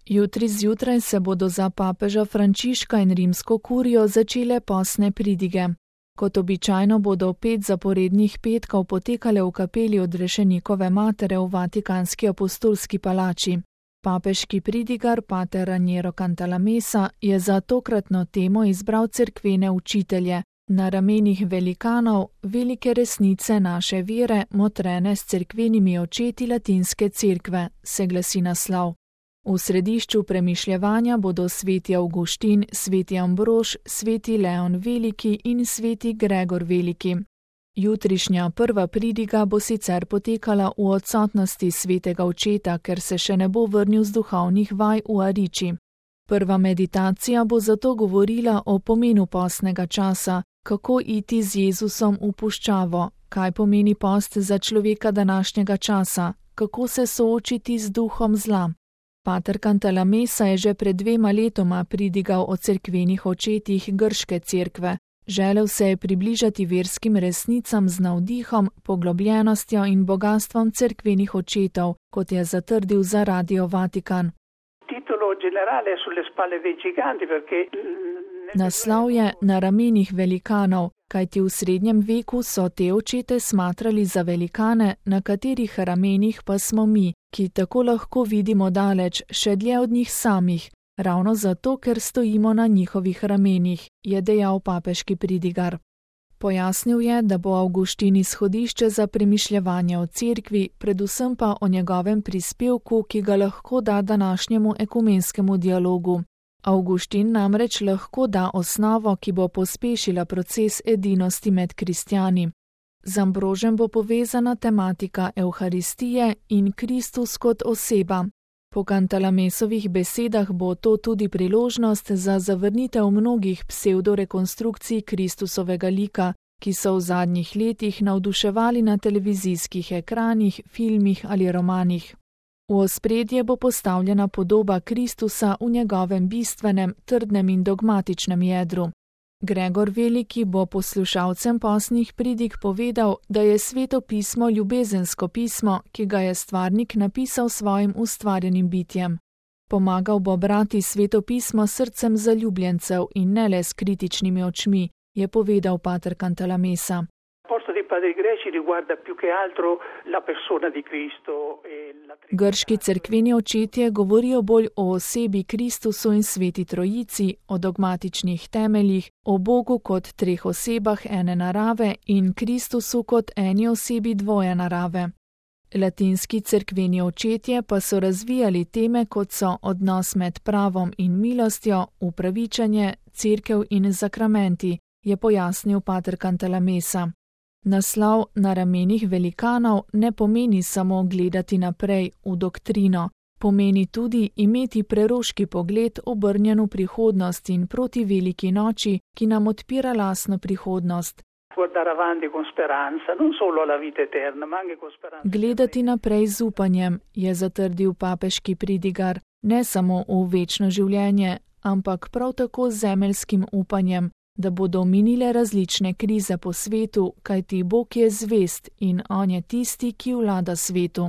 Jutri zjutraj se bodo za papeža Frančiška in rimsko kurijo začele postne pridige. Kot običajno bodo 5 zaporednih petkov potekale v kapeli Odrešenikove matere v Vatikanski apostolski palači. Papeški pridigar pater Raniero Cantalamessa je za tokratno temo izbral cerkvene učitelje, na ramenih velikanov, velike resnice naše vere, motrene s cerkvenimi očeti latinske cerkve, se glasi naslov. V središču premišljevanja bodo sveti Avguštin, sveti Ambrož, sveti Leon Veliki in sveti Gregor Veliki. Jutrišnja prva pridiga bo sicer potekala v odsotnosti svetega očeta, ker se še ne bo vrnil z duhovnih vaj v Ariči. Prva meditacija bo zato govorila o pomenu postnega časa, kako iti z Jezusom v puščavo, kaj pomeni post za človeka današnjega časa, kako se soočiti z duhom zla. Pater Cantalamessa je že pred 2 letoma pridigal o cerkvenih očetih grške cerkve. Želel se je približati verskim resnicam z navdihom, poglobljenostjo in bogatstvom cerkvenih očetov, kot je zatrdil za Radio Vatikan. Naslov je Na ramenih velikanov, kajti v srednjem veku so te očete smatrali za velikane, na katerih ramenih pa smo mi, ki tako lahko vidimo daleč, še dlje od njih samih, ravno zato, ker stojimo na njihovih ramenih, je dejal papeški pridigar. Pojasnil je, da bo Avguštin izhodišče za premišljevanje o cerkvi, predvsem pa o njegovem prispevku, ki ga lahko da današnjemu ekumenskemu dialogu. Avguštin namreč lahko da osnovo, ki bo pospešila proces edinosti med kristjani. Z Ambrožem bo povezana tematika Evharistije in Kristus kot oseba. Po Cantalamessovih besedah bo to tudi priložnost za zavrnitev mnogih pseudorekonstrukcij Kristusovega lika, ki so v zadnjih letih navduševali na televizijskih ekranih, filmih ali romanih. V ospredje bo postavljena podoba Kristusa v njegovem bistvenem, trdnem in dogmatičnem jedru. Gregor Veliki bo poslušalcem postnih pridig povedal, da je Sveto pismo ljubezensko pismo, ki ga je stvarnik napisal svojim ustvarjenim bitjem. Pomagal bo brati Sveto pismo srcem zaljubljencev in ne le s kritičnimi očmi, je povedal pater Cantalamessa. Grški cerkveni očetje govorijo bolj o osebi Kristusu in Sveti Trojici, o dogmatičnih temeljih, o Bogu kot 3 osebah ene narave in Kristusu kot eni osebi dvoje narave. Latinski cerkveni očetje pa so razvijali teme, kot so odnos med pravom in milostjo, upravičenje, cerkev in zakramenti, je pojasnil pater Cantalamessa. Naslov Na ramenih velikanov ne pomeni samo gledati naprej v doktrino, pomeni tudi imeti preroški pogled obrnjen v prihodnost in proti veliki noči, ki nam odpira lastno prihodnost. Gledati naprej z upanjem, je zatrdil papeški pridigar, ne samo v večno življenje, ampak prav tako z zemeljskim upanjem, da bodo minile različne krize po svetu, kajti Bog je zvest in on je tisti, ki vlada svetu.